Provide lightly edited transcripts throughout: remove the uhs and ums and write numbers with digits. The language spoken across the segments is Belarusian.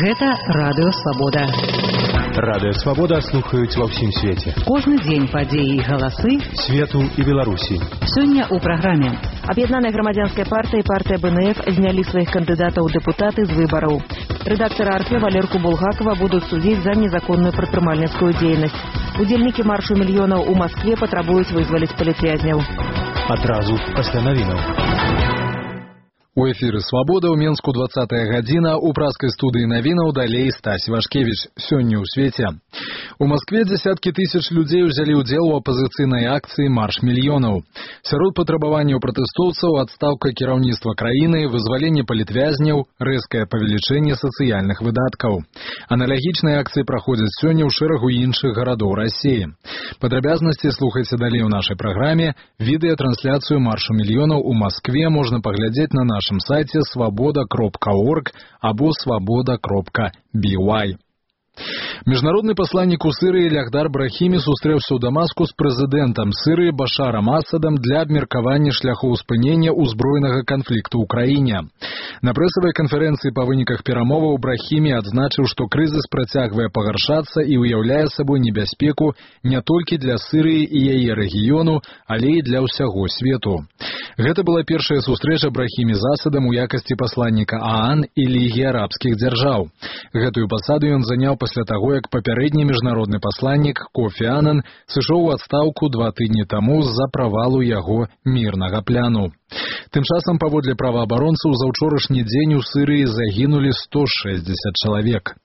Гэта Радыё Свабода. Радыё Свабода слухаюць ва ўсім свеце. Кожны дзень падзеі і галасы свету і Беларусі. Сёння ў праграме. Аб'яднаная грамадзянская партыя і партыя БНФ знялі сваіх кандыдатаў у дэпутаты з выбараў. Рэдактара Арфе Валерку Булгакова будуць судзіць за незаконную прадпрымальніцкую дзейнасць. Удзельнікі маршу мільёнаў у Маскве патрабуюць вызваліць палітвязняў. Адразу пасля навінаў. У эфіры «Свабода» ў Менску 20-я гадзіна, у праскай студыі навінаў далей Стась Вашкевіч. Сёння ў свеце. У Маскве дзесяткі тысяч людзей узялі ўдзел у апазіцыйнай акцыі «Марш мільёнаў». Сярод патрабаванняў пратэстоўцаў адстаўка кіраўніцтва краіны, вызваленне палітвязняў, рэзкае павелічэнне сацыяльных выдаткаў. Аналагічныя акцыі праходзяць сёння ў шэрагу іншых гарадоў Расіі. Падрабязнасці слухайце далей у нашай праграме. Відэатрансляцыю «Маршу мільёнаў» у Маскве можна паглядзець на нашым сайце svoboda.org або svoboda.by. Міжнародны пасланнік у Сырыі Лягдар Брахімі сустрэўся ў Дамаску з прэзідэнтам Сырыі Башарам Асадам для абмеркавання шляхоў спынення ўзброенага канфлікту ў краіне. На прэсавай канферэнцыі па выніках перамоваў Брахімі адзначыў, што крызіс працягвае пагаршацца і ўяўляе сабой небяспеку не толькі для Сырыі і яе рэгіёну, але і для ўсяго свету. Гэта была першая сустрэча Брахімі з Асадам у якасці пасланніка ААН і Лігі арабскіх дзяржаў. Гэтую пасаду ён заняў пасля таго, як папярэдні міжнародны пасланнік Кофі Анан сышоў у адстаўку 2 тыдні таму з-за правалу яго мірнага пляну. Тым часам, паводле праваабаронцаў, за ўчорашні дзень у Сырыі загінулі 160 чалавек.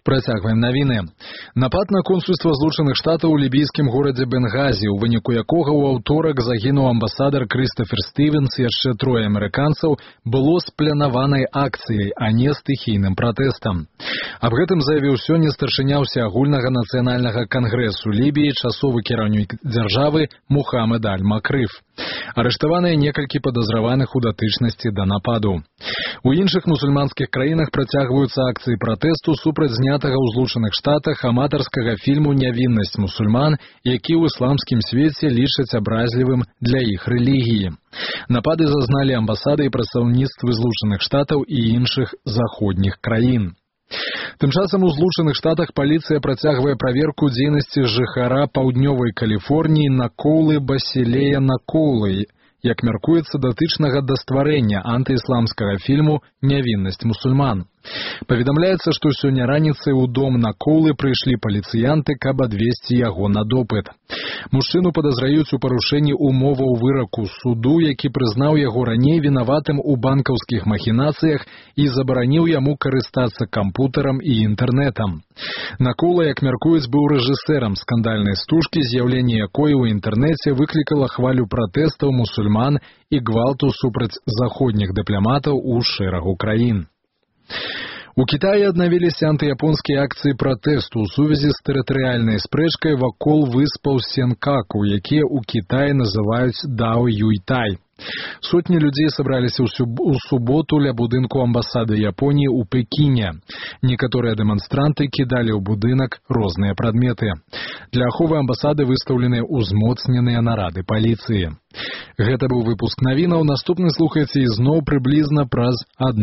Працягваем навіны. Напад на консульства Злучаных Штатаў у лібійскім горадзе Бенгазі, у выніку якога ў аўторак загінуў амбасадар Крыстафер Стывенс і яшчэ 3 амерыканцаў, было спланаванай акцыяй, а не стыхійным пратэстам. Аб гэтым заявіў сёння старшыня ўсеагульнага нацыянальнага кангрэсу Лібіі, часовы кіраўнік дзяржавы Мухаммед Аль-Макрыф. Арыштаваныя некалькі падазраваных у датычнасці да нападу. У іншых мусульманскіх краінах працягваюцца акцыі пратэсту супраць знятага ў Злучаных Штатах аматарскага фільму «Нявіннасць мусульман», які ў ісламскім свеце лічаць абразлівым для іх рэлігіі. Напады зазналі амбасады і прадстаўніцтвы Злучаных Штатаў і іншых заходніх краін. Тым часам у Злучаных Штатах паліцыя працягвае праверку дзейнасці жыхара паўднёвай Каліфорніі Накоулы Басілея Накоулы, як мяркуецца, датычнага да стварэння антыісламскага фільму «Нявіннасць мусульман». Паведамляецца, што сёння раніцай у дом Накоулы прыйшлі паліцыянты, каб адвесці яго на допыт. Мужчыну падазраюць у парушэнні умоваў выраку суду, які прызнаў яго раней вінаватым у банкаўскіх махінацыях і забараніў яму карыстацца кампутарам і інтэрнэтам. Накоула, як мяркуюць, быў рэжысэрам скандальнай стужкі, з'яўленне якой у інтэрнэце выклікала хвалю пратэстаў мусульман і гвалту супраць заходніх дыпламатаў у шэрагу краін. У Кітаі аднавіліся антыяпонскія акцыі пратэсту ў сувязі з тэрытарыяльнай спрэчкай вакол выспаў Сенкаку, якія ў Кітаі называюць Дао Юйтай. Сотні людзей сабраліся ў суботу ля будынку амбасады Японіі ў Пекіне. Некаторыя дэманстранты кідалі ў будынак розныя прадметы. Для аховы амбасады выстаўленыя ўзмоцненыя нарады паліцыі. Гэта быў выпуск навінаў. Наступны слухайце ізноў прыблізна праз 1